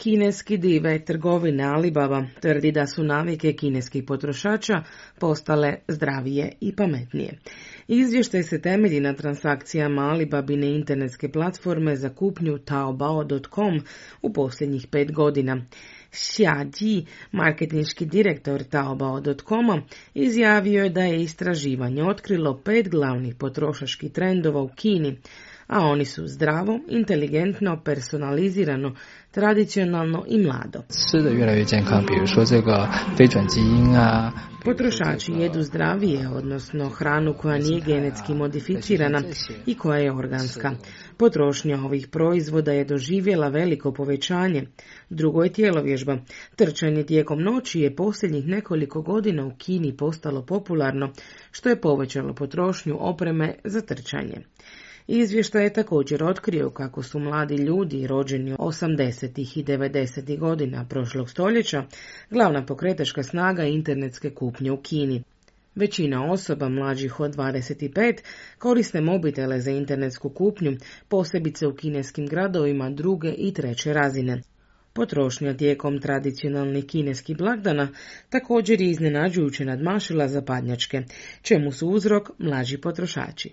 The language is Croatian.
Kineski dive trgovine Alibaba tvrdi da su navike kineskih potrošača postale zdravije i pametnije. Izvještaj se temelji na transakcijama Alibabine internetske platforme za kupnju Taobao.com u posljednjih 5 godina. Xia Ji, marketinški direktor Taobao.com, izjavio je da je istraživanje otkrilo 5 glavnih potrošačkih trendova u Kini, a oni su zdravo, inteligentno, personalizirano, tradicionalno i mlado. Potrošači jedu zdravije, odnosno hranu koja nije genetski modificirana i koja je organska. Potrošnja ovih proizvoda je doživjela veliko povećanje. Drugo je tjelovježba. Trčanje tijekom noći je posljednjih nekoliko godina u Kini postalo popularno, što je povećalo potrošnju opreme za trčanje. Izvještaj je također otkrio kako su mladi ljudi rođeni 80. i 90. godina prošlog stoljeća glavna pokretačka snaga internetske kupnje u Kini. Većina osoba mlađih od 25 koriste mobitele za internetsku kupnju, posebice u kineskim gradovima druge i treće razine. Potrošnja tijekom tradicionalnih kineskih blagdana također je iznenađujuće nadmašila zapadnjačke, čemu su uzrok mlađi potrošači.